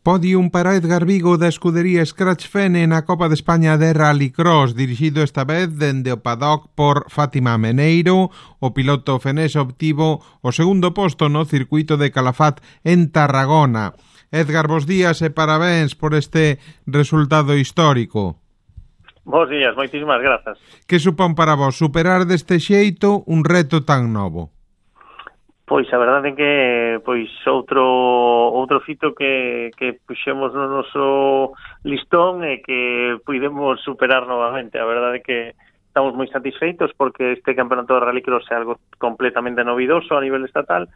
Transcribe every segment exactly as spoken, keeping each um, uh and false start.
Podium para Edgar Vigo da escudería Scratch Fene na Copa de España de Rallycross, dirixido esta vez dende o paddock por Fátima Meneiro. O piloto fenés obtivo o segundo posto no circuito de Calafat en Tarragona. Edgar, bos días e parabéns por este resultado histórico. Bos días, moitísimas grazas. Que supón para vos superar deste xeito un reto tan novo? Pois a verdade é que pois outro outro fito que, que puxemos no noso listón e que puidemos superar novamente. A verdade é que estamos moi satisfeitos porque este campeonato de Rallycross é algo completamente novidoso a nivel estatal.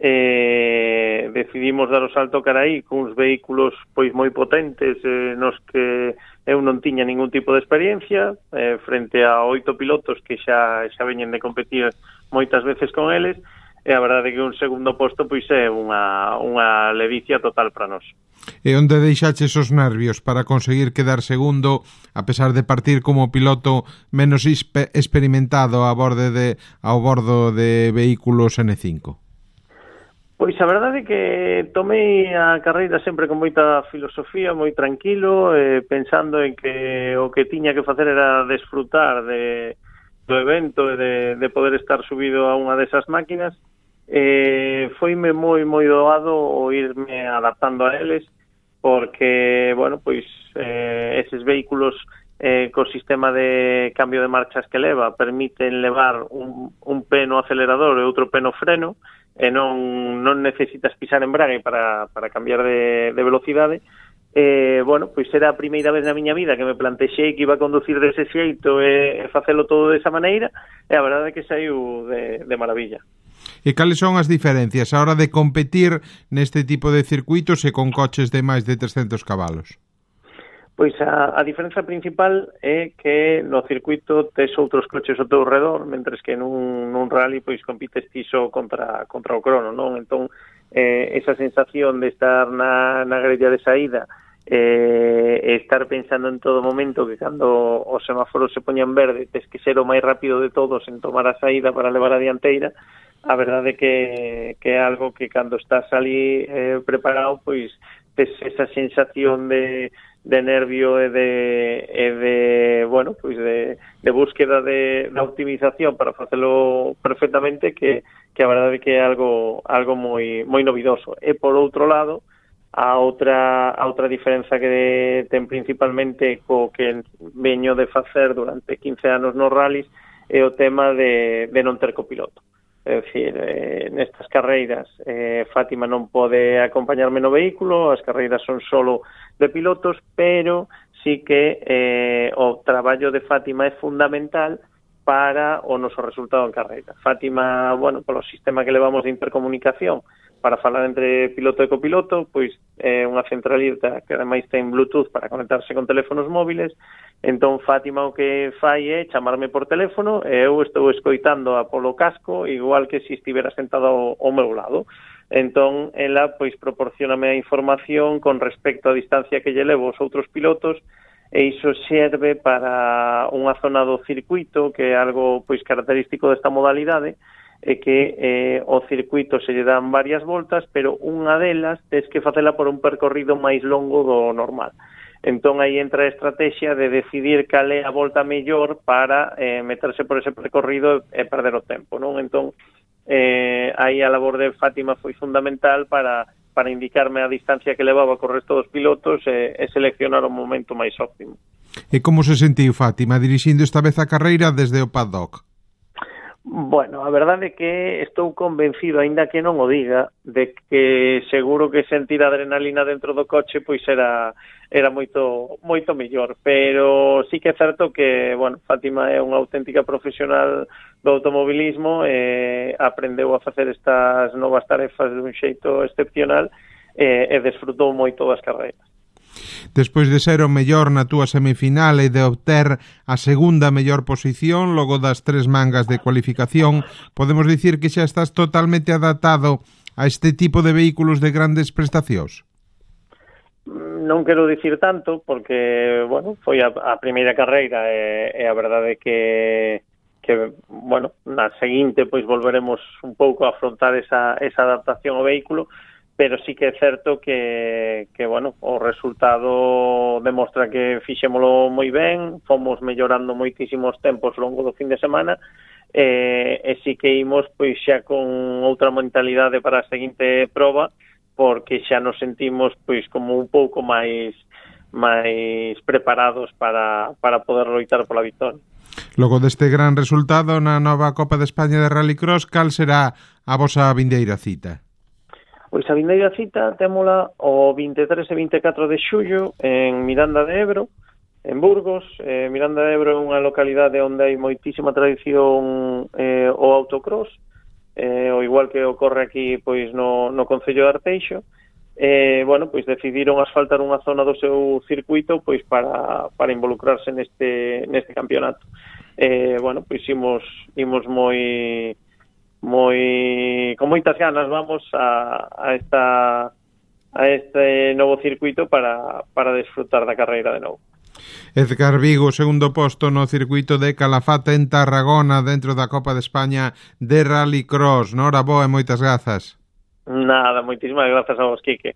Eh, decidimos dar o salto cara aí con uns vehículos pois moi potentes eh, nos que eu non tiña ningún tipo de experiencia eh, frente a oito pilotos que xa, xa veñen de competir moitas veces con eles. E a verdade é que un segundo posto pois é unha, unha ledicia total para nós. E onde deixaches os nervios para conseguir quedar segundo, a pesar de partir como piloto menos experimentado a borde de, ao bordo de vehículos ene cinco? Pois a verdade é que tomei a carreira sempre con moita filosofía, moi tranquilo, eh, pensando en que o que tiña que facer era desfrutar de, do evento e de, de poder estar subido a unha desas máquinas. Eh, foime moi moi doado o irme adaptando a eles porque, bueno, pois eh, eses vehículos eh, co sistema de cambio de marchas que leva permiten levar un, un pé no acelerador e outro pé no freno e non, non necesitas pisar embrague para, para cambiar de, de velocidade. Eh, bueno, pois era a primeira vez na miña vida que me plantexei que iba a conducir dese xeito e, e facelo todo desa maneira e a verdade é que saiu de, de maravilla. E cales son as diferencias a hora de competir neste tipo de circuitos e con coches de máis de trescentos cabalos? Pois a, a diferenza principal é que no circuito tes outros coches ao teu redor, mentres que nun, nun rally pois compites ti só contra, contra o crono, non? Entón, eh, esa sensación de estar na, na grella de saída e eh, estar pensando en todo momento que cando os semáforos se poñan verde tes que ser o máis rápido de todos en tomar a saída para levar a dianteira. A verdade é que, que é algo que cando estás ali eh, preparado, pois tes esa sensación de, de nervio e de, e de bueno, pois de, de búsqueda de, de optimización para facelo perfectamente que, que a verdade é que é algo, algo moi, moi novidoso. E por outro lado, a outra, a outra diferenza que ten principalmente co que veño de facer durante quince anos nos rallies é o tema de, de non ter copiloto. É dicir, eh, nestas carreiras eh, Fátima non pode acompañarme no vehículo, as carreiras son solo de pilotos, pero sí que eh, o traballo de Fátima é fundamental para o noso resultado en carreira. Fátima, bueno, polo sistema que levamos de intercomunicación para falar entre piloto e copiloto, pois é eh, unha centralita que ademais ten Bluetooth para conectarse con teléfonos móviles. Entón Fátima o que fai é chamarme por teléfono e eu estou escoitando a polo casco igual que se estivera sentado ao, ao meu lado. Entón ela pois proporcioname a información con respecto á distancia que lle levo aos outros pilotos e iso serve para unha zona do circuito que é algo pois característico desta modalidade é que eh, o circuito se lle dan varias voltas, pero unha delas tes que facela por un percorrido máis longo do normal. Entón aí entra a estrategia de decidir cal é a volta mellor para eh, meterse por ese percorrido e perder o tempo, non? Entón, eh, aí a labor de Fátima foi fundamental para, para indicarme a distancia que levaba co resto dos pilotos e, e seleccionar o momento máis óptimo. E como se sentiu Fátima dirixindo esta vez a carreira desde o paddock? Bueno, a verdade é que estou convencido, aínda que non o diga, de que seguro que sentir adrenalina dentro do coche pois era era moito moito mellor, pero sí que é certo que, bueno, Fátima é unha auténtica profesional do automobilismo e aprendeu a facer estas novas tarefas dun xeito excepcional e, e desfrutou moito das carreiras. Despois de ser o mellor na túa semifinal e de obter a segunda mellor posición logo das tres mangas de cualificación, podemos dicir que xa estás totalmente adaptado a este tipo de vehículos de grandes prestacións? Non quero dicir tanto, porque, bueno, foi a, a primeira carreira e, e a verdade é que, que, bueno, na seguinte, pois volveremos un pouco a afrontar esa, esa adaptación ao vehículo, pero sí que é certo que, que bueno, o resultado demostra que fixémolo moi ben, fomos mellorando moitísimos tempos ao longo do fin de semana, e, e sí que imos pois xa con outra mentalidade para a seguinte proba, porque xa nos sentimos pois como un pouco máis máis preparados para, para poder loitar pola victoria. Logo deste gran resultado na nova Copa de España de Rallycross, cal será a vosa vindeira cita? Pois a vindeira cita témola o vinte e tres e vinte e catro de xullo en Miranda de Ebro, en Burgos. Eh, Miranda de Ebro é unha localidade onde hai moitísima tradición eh, o autocross, eh, o igual que ocorre aquí pois no, no Concello de Arteixo. Eh, bueno, pois decidiron asfaltar unha zona do seu circuito pois para, para involucrarse neste, neste campeonato. Eh, bueno, pois imos, imos moi, moi, con moitas ganas vamos a, a, esta, a este novo circuito para, para desfrutar da carreira de novo. Edgar Vigo, segundo posto no circuito de Calafate en Tarragona dentro da Copa de España de Rallycross. Nora boa e moitas grazas. Nada, moitísimas grazas a vos, Quique.